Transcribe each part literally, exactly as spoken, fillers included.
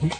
Kami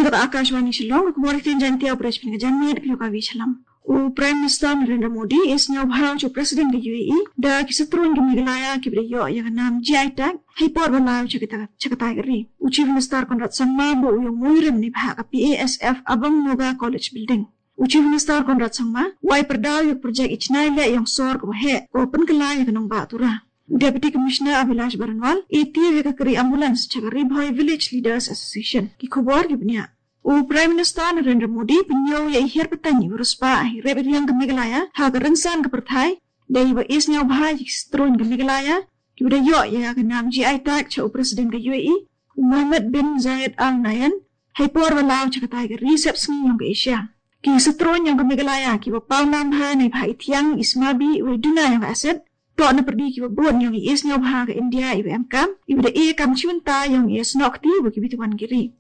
kata Akashvani Shillong, kumari tin jantia operation ka janmai da pioka vi shalam. U Prime Minister Narendra Modi, is nyau bhau chu President ka U A E, da ki satron ka Meghalaya ki bri yo ya ka nam G I tag, hai por ba lau chakata, chakata ka ri. U Chief Minister Conrad Sangma, bo u yong muirim ni bha ka P A S F Abang Noga College Building. U Chief Minister Conrad Sangma, wai perdau yok project ichnai le yong sor ko he, ko pen kelai ka nong ba tura. Deputy Commissioner Abhilash Baranwal, A T V ka kari ambulance chaka Ri Bhoi Village Leaders Association, ki khobor ki bnya. U Prime Minister Narendra Modi, penyo ya ihir petani urus ba, hi rebe riang ka Meghalaya, ha ka rinsan ka perthai, da iwa is nyau bha yi stron ka Meghalaya, ki uda yo ya ka nam G I tag cha u President ka U A E, Mohammed bin Zayed Al Nahyan, hai por wa lau chakatai ka recep sngi yong ka Asia. Ki satron yong ka Meghalaya, ki wa pau nam bha, nai bha itiang, ismabi, wa duna yong ka aset, to na perdi ki wa bon yong is nyau bha ka India, iwa em kam, iwa da e kam chiwanta yong is nokti, wa ki bituan giri.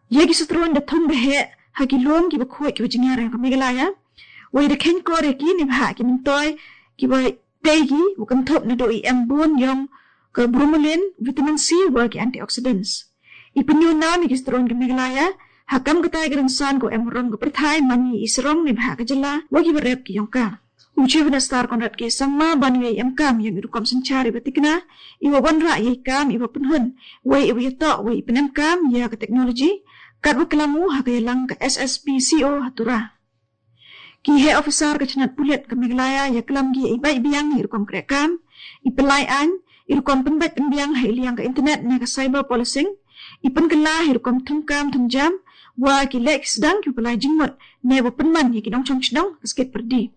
Ye ki satron da thum behe, ha ki lom ki wa khoi ki wa jingyar yong ka Meghalaya, wa da khen kor ya ki ni bha ki mintoi, ki wa tei ki, wa kan thop na do i em bon yong ka bromelain, vitamin C, wa ki antioxidants. I penyu nam i ki satron ka Meghalaya, ha kam ka tai ka rinsan ko em rong ka perthai mani i sarong ni bha ka jela, wa ki wa rep ki yong ka. U Chief Minister Conrad K Sangma ban wei em kam yong i rukom sanchar i wa tikna, i wa wan ra yei kam i wa penhun, wei i wa yato, wei i penem kam ya ka technology, kat wa kelamu ha ka yalang ka S S P C O ha tura. Ki he officer ka chnat pulit ka Meghalaya ya kelam ki i bai biang i rukom kre kam, i pelai an, i rukom penbait penbiang ha i liang ka internet na ka cyber policing, i penkela i rukom thum kam thum jam, wa ki lek sedang ki pelai jingmut, ne wa penman ya ki nong chong chnong ka skit perdi.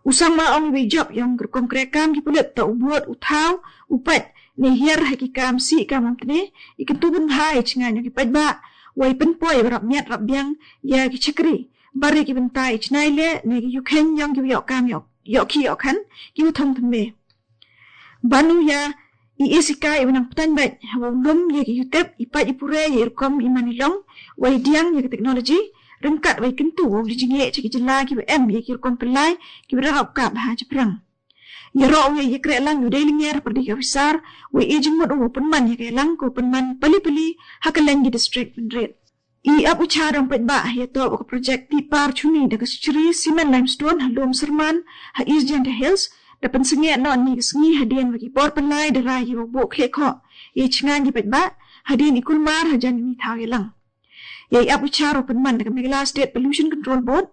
U Sangma ong i job yong rukom kre kam ki pulit ta u buat u thau, u pait, ne hiar ha ki kam si kam am tne, i kentu ben bha i chingan yong ki pait ba, wa i penpoi wa rap miat rap biang, ya ki chakri, bari ki benta i chnai le, ne ki yukhen yong ki yok kam yok, yok ki yok khan, ki u thong tme. Banu ya, i isikai i wenang petan bait, ha wa u lum ya ki yutep, i pait i pure ya i rukom i mani long, wa i diang ya ki technology, ringkat wa i kentu wa u li jinge cha ki jela ki wa em ya ki rukom pelai, ki wa rap kap ha chaprang. Ya ro u ya i kre lang u dei linger perdi ka officer, wa i jingmut u wa penman ya ka lang ko penman pali pali, ha ka leng ki district penrit. I ap u cha rong pait ba, ya to wa ka project ti par chuni da ka Shri Cement Limestone ha lom serman, ha East Jaintia Hills, da pensengi no ni ka sngi ha dien wa ki por pelai da rai ki wa bo khle kho. I chingan ki pait ba, ha dien i kulmar ha jan ni thau ya lang. Ya i ap u cha ro penman da ka Meghalaya State Pollution Control Board,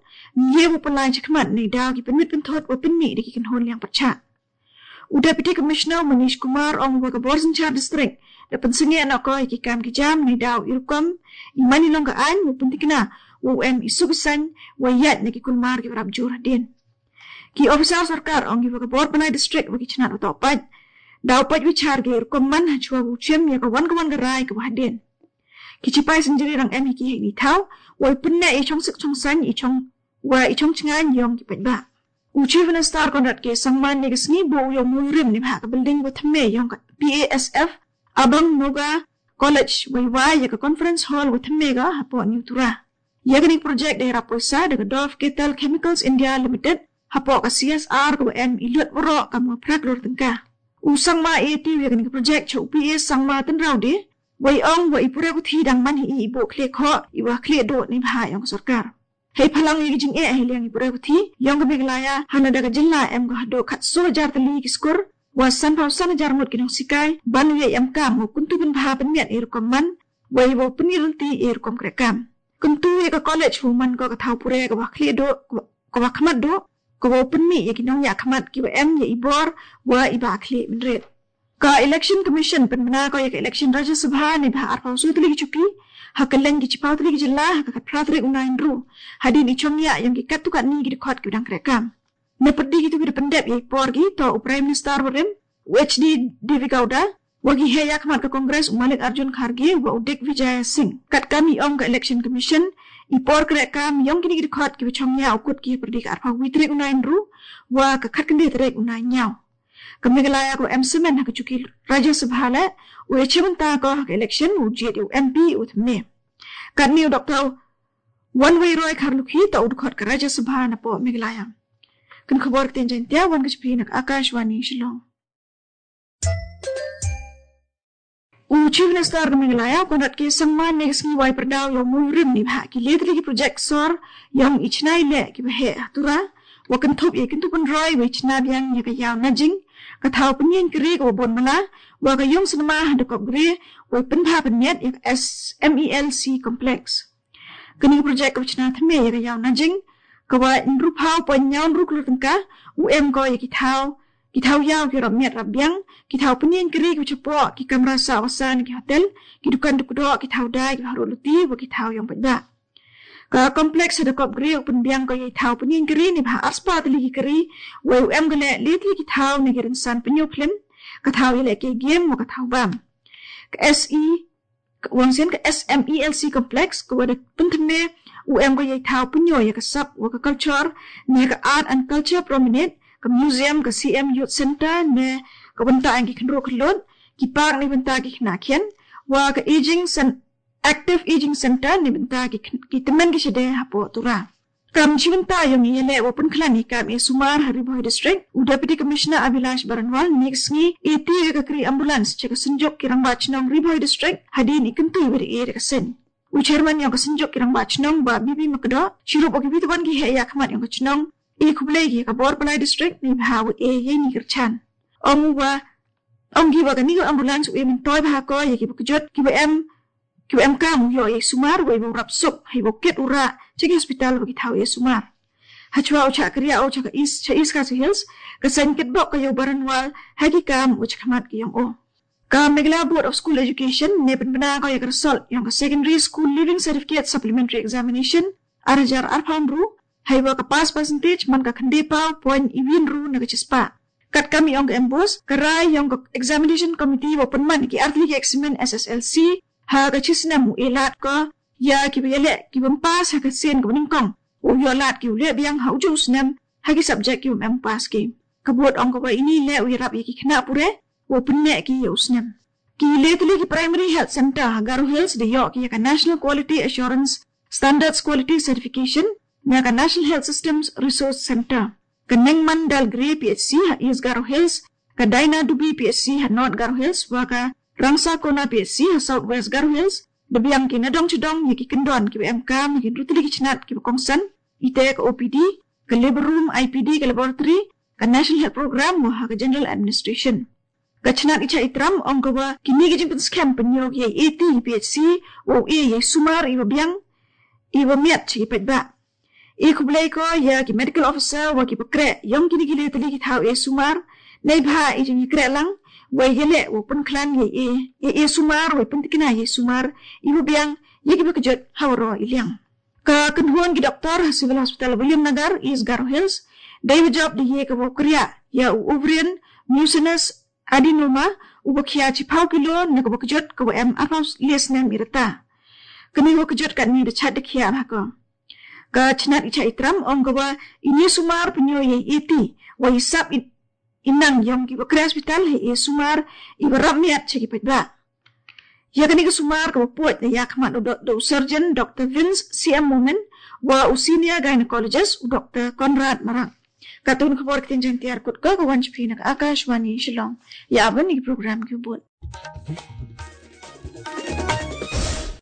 ye wa pelai chakmat ni da ki penmit penthot wa penmi da ki kenhon liang percha. U Deputy Commissioner Manish Kumar ong wa ka bor sanchar district, da pensengi anak ko ki kam ki jam ni dau i rukom, i mani long ka ain, wa pentikna, wa u em i subisan, wa yat na ki kulmar ki rap jur hadin. Ki officer sorkar ong wa ka bor panai district wa ki chnat wa tau pait. Dau pait wa char ki rukom man ha chua wa u chem ya ka wan ka wan ka rai ka wa hadin. Ki chipai senjiri rang em hi ki hei ni thau, wa i penne i chong sik chong san, i chong wa i chong chingan yong ki pait ba. U Chief Minister Conrad K Sangma ni ka sngi bo u yong muirim ni bha ka building wa thamme yong ka P A S F Abang Noga College wa i wa ya ka conference hall wa thamme ga ha po ni u tura. Ya ka ni project da i rap poisa da ka Dove Kettle Chemicals India Limited ha po ka C S R ka wa em i lut wa ro ka mo prak lor tengka. U Sangma A T V ya ka ni ka project cha u P A Sangma tenrau de, wa i ong wa i pura ku thi dang man hi i bo khle kho, i wa khle do ni bha yong ka sorkar. Hei phalang i jing e hei liang i pura ku thi, yong ka Meghalaya, hana da ka jilla em ka hado khat so hajar tali ki skur, wa san pau san hajar ngut ki nong sikai, ban u ya i em kam, wa kuntu ben bha penmiat i rukom man, wa i wa peni renti i rukom kre kam. Kuntu i ka college wa man ko ka thau pura ka wa khle do, ka wa khmat do, ka wa penmi ya ki nong ya khmat ki wa em ya i bor, wa i ba khle menret. Ka Election Commission penmena ko ya ka election Rajya Sabha ni bha arpau so tali ki chuki, ha ka leng ki chipau tali ki jilla, ha ka khat phra tarik u nine ru. Hadin i chong ya yong ki kat tu kat ni ki dikot ki dang kre kam. Na perdi ki tu ki da pendep ya i por ki, to u Prime Minister wa rem, u H D Devegowda, wa ki he ya khmat ka Congress u Mallikarjun Kharge, wa u Digvijay Singh. Kat kam i ong ka Election Commission, i por kre kam yong ki ni ki dikot ki wa chong ya u kut ki perdi ka arpau wi tarik u nine ru, wa ka khat kende tarik u nine nyau. Ka Meghalaya ko em semen ha ka chuki Rajya Sabha le, u ya chimenta ko ha ka election, u jiet u M P u thamme. Katni u Doctor Wanwei Roy Kharlukhi ta u dkhot ka Rajya Sabha na po Meghalaya. Kan khobor ktien Jaintia, wan ka chiphi na ka Akashvani Shillong. U Chief Minister ka Meghalaya, Conrad K Sangma, next ngi wai perdau yong mui rim ni bha ki letli ki project sor yong i chnai le ki bha he ha Tura, wa kan thup ye kan thup roi wa i chna biang ya ka yau najing, ka thau pynien kri ka wa bon mala, wa ka yung cinema ha da kop gre, wa i pynbha pynmiat ya ka S M E L C complex. Kani ka project ka wa chna thymme ya ka yau najing, ka wa nru phau point nyaw nru klur tengka, u em ko ya ki thau, ki thau yau ki rap miat rap biang, ki thau pynien kri ki wa chapo, ki kamra sa wa san ki hotel, ki dukan dukdo, ki thau dai, ki haru luti, wa ki thau yong pajba. Ka complex ha da kop gre u pynbiang ko ya i thau pynien kri ni bha arspa tli ki kri, wa u em gale letli ki thau ni ki rinsan pynyo film, ka thau ya le ke game, wa ka thau bam. Ka S E Ka wangsen ka S M E L C complex, ka wa da pynthymme u em ka ya i thau pynyo ya ka sap wa ka culture, ne ka art and culture promenade, ka museum, ka C M Youth Center, ne ka bynta ang ki khynro khylot, ki park ni bynta ki khna khian, wa ka aging cen-, active aging center ni bynta ki kh-, ki tymmen ki shede hapo Tura. Kam chibynta yong i yele wa pynkhlan i kam e sumar ha Ri Bhoi District, u Deputy Commissioner Abhilash Baranwal, next ngi e ti ka kri ambulance cha ka synjuk ki rangba chnong Ri Bhoi District, hadin i kyntu i beri e ka sen. U Chairman yong ka synjuk ki rangba chnong wa B B Makdo, chirup o ki bituan ki he ya khmat yong ka chnong, e khublei ki ka Bor Palai District, ni bha wa e ye ni kyrchan. Ong wa, ong ki wa ka ni ka ambulance u e myntoi bha ko, ye ki wa kjut, ki wa em, ki wa em kam u yo e sumar, wa i wa rap sup, ha i wa kit u ra, cha ki hospital wa ki thau e sumar. Ha chwa u cha kria u cha ka East, cha East Khasi Hills, ka sain kit bok ka yo Baranwal, ha ki kam u cha khmat ki yong o. Ka Meghalaya Board of School Education, ne pynbna ko ya ka result, yong ka Secondary School Leaving Certificate Supplementary Examination, ar hajar arphaw ynru, ha i wa ka pass percentage, man ka khyndai phaw point i wi ynru na ka chispa. Kat kam i ong ka embos, ka rai yong ka examination committee wa pynman ki artli ki examine S S L C, ha ka chisnem u e lad ko, ya ki wa yele, ki wa pass ha ka sien ka wa nyngkong, u yo lad ki u le biang ha u ju u snem, ha ki subject ki wa em pass ki. Ka board ong ka wa ini le u yarap ya ki khna pure, wa pynne ki ya u snem. Ki letli ki Primary Health Center ha Garo Hills da yo ki ya ka National Quality Assurance Standards Quality Certification, na ka National Health Systems Resource Center. Ka Nengman Dalgre P H C ha East Garo Hills, ka Daina Dubi P H C ha North Garo Hills, wa ka Rangsa Kona P H C ha South West Garo Hills, da biang ki nadong chadong ya ki kyndon ki wa em kam ya ki rutli ki chnat ki wa kongsan, ite ka O P D, ka labor room, I P D, ka laboratory, ka National Health Program, wa ha ka General Administration. Ka chnat i cha i tram ong ka wa, kini ki jingpynskhem pynyo ki ya i e ti i P H C, wa u e ya i sumar i wa biang, i wa miat cha ki paidbah. I khublei ko ya ki medical officer wa ki bakre, yong kini ki letli ki thau e sumar, nei bha i jing i kre lang, wa i yele wa pynkhlan ya i e, ya i e sumar, wa i pyntikna ya i sumar, i wa biang, ya ki wa kjut, ha wa ro i liang. Ka kynhun ki doktor ha Civil Hospital Williamnagar, East Garo Hills, dei wa jop da ye ka wa kria, ya u ovarian mucinous adenoma, u wa khia chiphaw kilo, na ka wa kjut ka wa em arphaw le snem i rta. Kani wa kjut ka ni da chat da khia ha ko. Ka chnat i cha i tram ong ka wa ini sumar pynyo ya i e ti, wa i sap i, i nang yong ki wa kre hospital ha i e sumar, i wa rap miat cha ki paidbah. Ya kani ka sumar ka wa puat na ya khmat u do, do surgeon Doctor Vince C M Momin, wa u senior gynecologist u Doctor Conrad Marak. Katun khobor ktien Jaintia kut ka ka wan chiphi na ka Akashvani Shillong. Ya aban ni program ki bud.